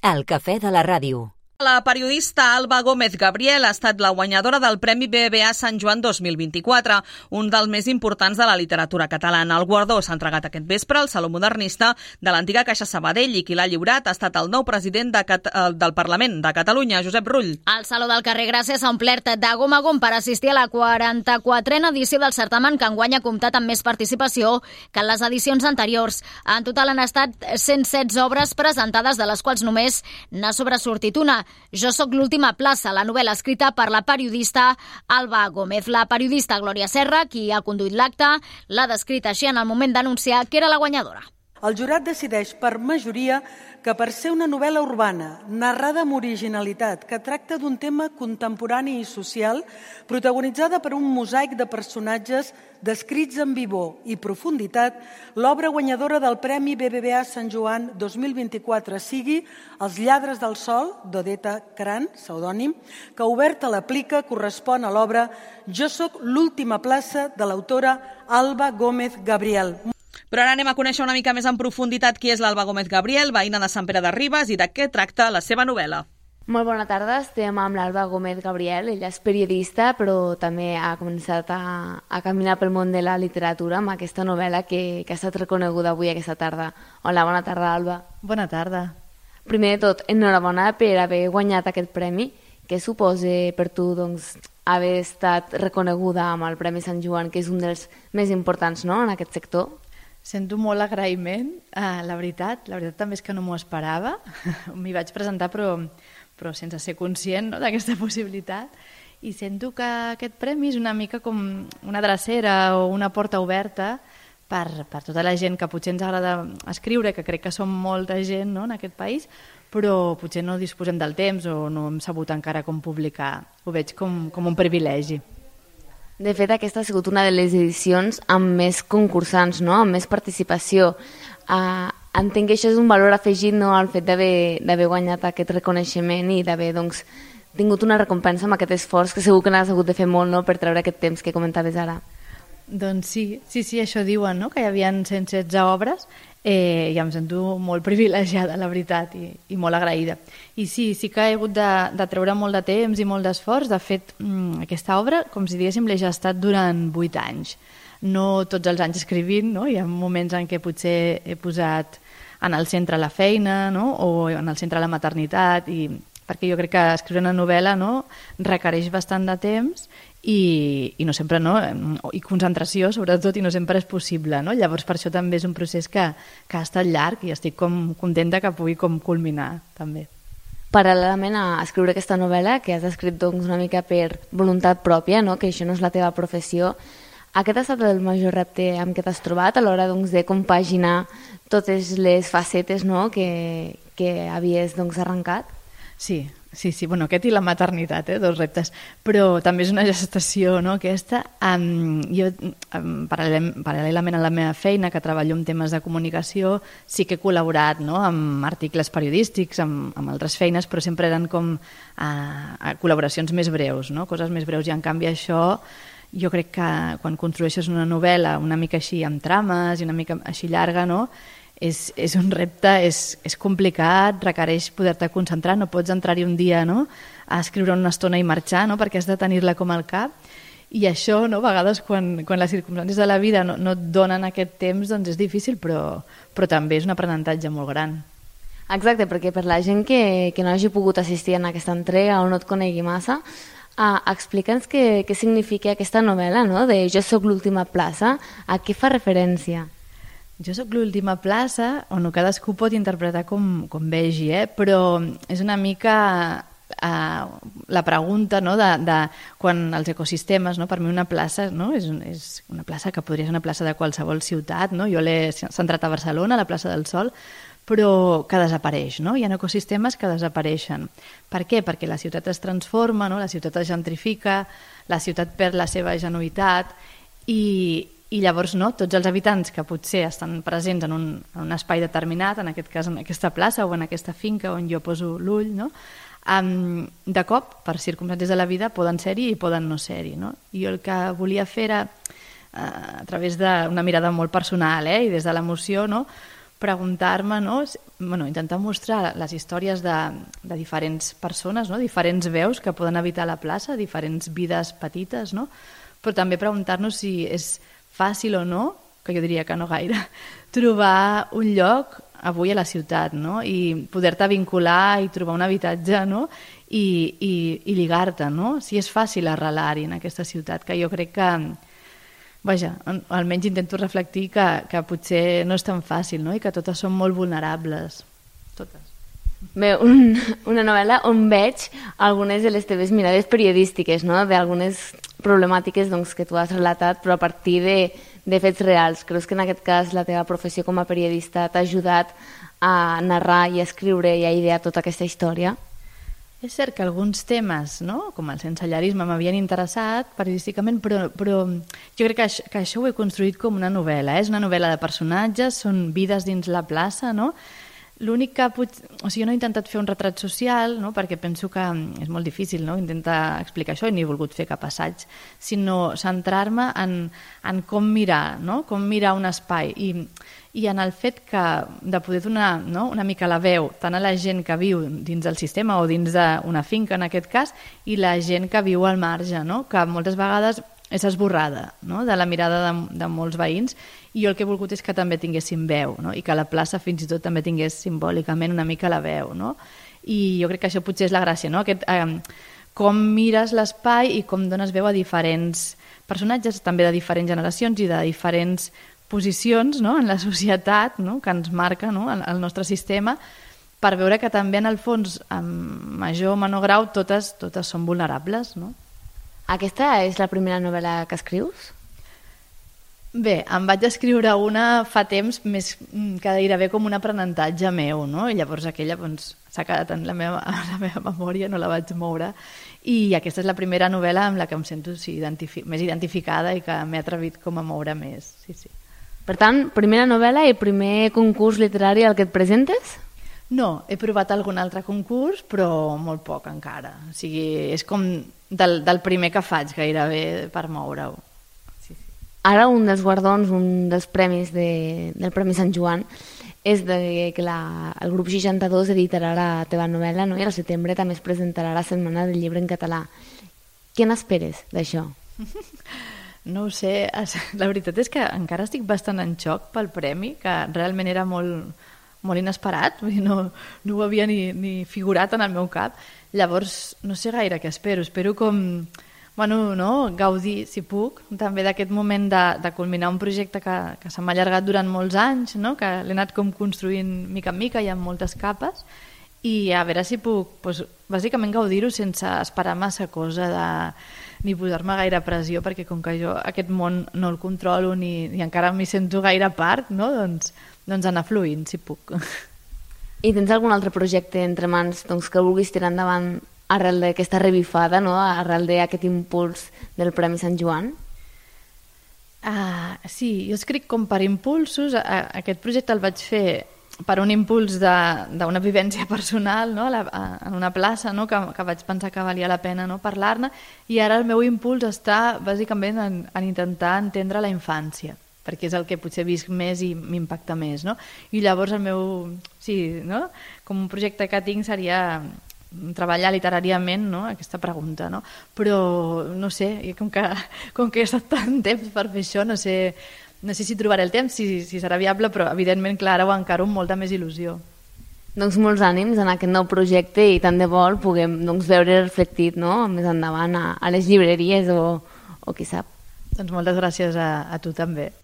El cafè de la ràdio. La periodista Alba Gómez Gabriel ha estat la guanyadora del Premi BBVA Sant Joan 2024, un dels més importants de la literatura catalana. El guardó s'ha entregat aquest vespre al Saló Modernista de l'antiga Caixa Sabadell i qui l'ha lliurat ha estat el nou president del Parlament de Catalunya, Josep Rull. El Saló del Carrer Gràcia s'ha omplert de gom a gom per assistir a la 44a edició del certamen, que enguany ha comptat amb més participació que en les edicions anteriors. En total han estat 116 obres presentades, de les quals només n'ha sobresortit una. Jo sóc l'última plaça, la novel·la escrita per la periodista Alba Gómez. La periodista Glòria Serra, qui ha conduït l'acte, l'ha descrit així en el moment d'anunciar que era la guanyadora. El jurat decideix per majoria que per ser una novel·la urbana, narrada amb originalitat, que tracta d'un tema contemporani i social, protagonitzada per un mosaic de personatges descrits amb vivor i profunditat, l'obra guanyadora del Premi BBVA Sant Joan 2024 sigui Els lladres del sol, d'Odeta Cran, pseudònim, que oberta la plica correspon a l'obra Jo sóc l'última plaça de l'autora Alba Gómez Gabriel. Però ara anem a conèixer una mica més en profunditat qui és l'Alba Gómez Gabriel, veïna de Sant Pere de Ribes, i de què tracta la seva novel·la. Molt bona tarda, estem amb l'Alba Gómez Gabriel. Ella és periodista, però també ha començat a caminar pel món de la literatura amb aquesta novel·la que ha estat reconeguda avui aquesta tarda. Hola, bona tarda, Alba. Bona tarda. Primer de tot, enhorabona per haver guanyat aquest premi. Què suposa per tu haver estat reconeguda amb el Premi Sant Joan, que és un dels més importants, no?, en aquest sector? Sento molt agraïment, la veritat també és que no m'ho esperava. M'hi vaig presentar però sense ser conscient, no?, d'aquesta possibilitat, i sento que aquest premi és una mica com una drecera o una porta oberta per tota la gent que potser ens agrada escriure, que crec que som molta gent, no?, en aquest país, però potser no disposem del temps o no hem sabut encara com publicar. Ho veig com un privilegi. De fet, aquesta ha sigut una de les edicions amb més concursants, no?, amb més participació. Entenc que això és un valor afegit, no?, al fet d'haver guanyat aquest reconeixement i d'haver tingut una recompensa amb aquest esforç, que segur que n'has hagut de fer molt, no?, per treure aquest temps que comentaves ara. Doncs sí, això diuen, no?, que hi havia 116 obres, i em sento molt privilegiada, la veritat, i molt agraïda. I sí que he hagut de treure molt de temps i molt d'esforç. De fet, aquesta obra, com si diguéssim, l'he gestat durant 8 anys. No tots els anys escrivint, no? Hi ha moments en què potser he posat en el centre la feina, no?, o en el centre la maternitat, perquè jo crec que escriure una novel·la, no?, requereix bastant de temps i no sempre, no?, i concentració sobretot, i no sempre és possible, no? Llavors per això també és un procés que ha estat llarg i estic com contenta que pugui com culminar també. Paral·lelament a escriure aquesta novel·la, que has escrit una mica per voluntat pròpia, no?, que això no és la teva professió, aquest ha estat el major repte amb què t'has trobat a l'hora de compaginar totes les facetes, no?, que havies arrencat? Sí, bueno, aquest i la maternitat, 2 reptes, però també és una gestació, no?, aquesta. Jo, paral·lelament a la meva feina, que treballo en temes de comunicació, sí que he col·laborat, no?, amb articles periodístics, amb altres feines, però sempre eren com col·laboracions més breus, no?, coses més breus, i en canvi això jo crec que quan construeixes una novel·la una mica així amb trames i una mica així llarga, no?, és un repte, és complicat, requereix poder-te concentrar, no pots entrar-hi un dia, no?, a escriure una estona i marxar, no?, perquè has de tenir-la com al cap, i això, no?, a vegades quan les circumstàncies de la vida no et donen aquest temps, doncs és difícil, però també és un aprenentatge molt gran. Exacte, perquè per la gent que no hagi pogut assistir a aquesta entrega o no et conegui massa, explica'ns què significa aquesta novel·la, no?, de Jo sóc l'última plaça, a què fa referència? Jo sóc l'última plaça, on cadascú pot interpretar com vegi, però és una mica la pregunta, no?, de quan els ecosistemes, no?, per mi una plaça, no?, és una plaça que podria ser una plaça de qualsevol ciutat, no?, jo l'he centrat a Barcelona, a la plaça del Sol, però que desapareix, no? Hi ha ecosistemes que desapareixen. Per què? Perquè la ciutat es transforma, no?, la ciutat es gentrifica, la ciutat perd la seva genuïtat i llavors, no?, tots els habitants que potser estan presents en un espai determinat, en aquest cas en aquesta plaça o en aquesta finca on jo poso l'ull, no?, de cop, per circumstàncies de la vida, poden ser-hi i poden no ser-hi, no? I el que volia fer era, a través d'una mirada molt personal, i des de l'emoció, no?, preguntar-me, no? Intentar mostrar les històries de diferents persones, no? Diferents veus que poden habitar la plaça, diferents vides petites, no? Però també preguntar-nos si és fàcil o no, que jo diria que no gaire, trobar un lloc avui a la ciutat, no? I poder-te vincular i trobar un habitatge, no? I lligar-te, no? Si és fàcil arrelar-hi en aquesta ciutat, que jo crec que, vaja, almenys intento reflectir que potser no és tan fàcil, no? I que totes són molt vulnerables, totes. Bé, una novel·la on veig algunes de les teves mirades periodístiques, no? D'algunes problemàtiques doncs, que tu has relatat, però a partir de fets reals. Creus que en aquest cas la teva professió com a periodista t'ha ajudat a narrar i a escriure i a idear tota aquesta història? És cert que alguns temes, no? Com el sensellarisme, m'havien interessat periodísticament, però jo crec que això ho he construït com una novel·la. És una novel·la de personatges, són vides dins la plaça, no? L'únic que jo no he intentat fer un retrat social, no? Perquè penso que és molt difícil, no? Intentar explicar això i ni he volgut fer cap assaig, sinó centrar-me en com mirar, no? Com mirar un espai i en el fet de poder donar, no? Una mica la veu tant a la gent que viu dins del sistema o dins d'una finca en aquest cas i la gent que viu al marge, no? Que moltes vegades és esborrada, no? De la mirada de molts veïns, i jo el que he volgut és que també tinguessin veu, no? I que la plaça fins i tot també tingués simbòlicament una mica la veu, no? I jo crec que això potser és la gràcia, no? Com mires l'espai i com dones veu a diferents personatges, també de diferents generacions i de diferents posicions, no? En la societat, no? Que ens marca, no? El nostre sistema, per veure que també en el fons, en major o menor grau, totes són vulnerables, no? Aquesta és la primera novel·la que escrius? Bé, em vaig escriure una fa temps, més que gairebé com un aprenentatge meu, no? I llavors aquella s'ha quedat en la meva memòria, no la vaig moure. I aquesta és la primera novel·la amb la que em sento més identificada i que m'he atrevit com a moure més. Sí, sí. Per tant, primera novel·la i primer concurs literari al que et presentes? No, he provat algun altre concurs, però molt poc encara. O sigui, és com del primer que faig gairebé per moure-ho. Sí, sí. Ara un dels guardons, un dels premis del Premi Sant Joan és que el grup 62 editarà la teva novel·la, no? I al setembre també es presentarà la Setmana del Llibre en català. Què n'esperes d'això? No ho sé, la veritat és que encara estic bastant en xoc pel premi, que realment era molt inesperat, no ho havia ni figurat en el meu cap. Llavors no sé gaire què espero com gaudir, si puc, també d'aquest moment de culminar un projecte que se m'ha allargat durant molts anys, no? Que l'he anat com construint mica en mica i amb moltes capes, i a veure si puc bàsicament gaudir-ho sense esperar massa cosa ni posar-me gaire pressió, perquè com que jo aquest món no el controlo ni encara m'hi sento gaire part, no? Doncs anar fluint, si puc. I tens algun altre projecte entre mans que vulguis tirar endavant arrel d'aquesta revifada, no? Arrel d'aquest impuls del Premi Sant Joan? Sí, jo escric com per impulsos. Aquest projecte el vaig fer per un impuls d'una vivència personal, no? En una plaça, no? Que vaig pensar que valia la pena, no? Parlar-ne, i ara el meu impuls està bàsicament en intentar entendre la infància, perquè és el que potser visc més i m'impacta més, no? I llavors el meu, sí, no? Com un projecte que tinc seria treballar literàriament, no? Aquesta pregunta, no? Però no sé, com que he estat tant temps per fer això, no sé si trobaré el temps, si serà viable, però evidentment, clar, ara ho encaro amb molta més il·lusió. Doncs molts ànims en aquest nou projecte i tant de bo el puguem veure reflectit, no? Més endavant a les llibreries o qui sap. Doncs moltes gràcies a tu també.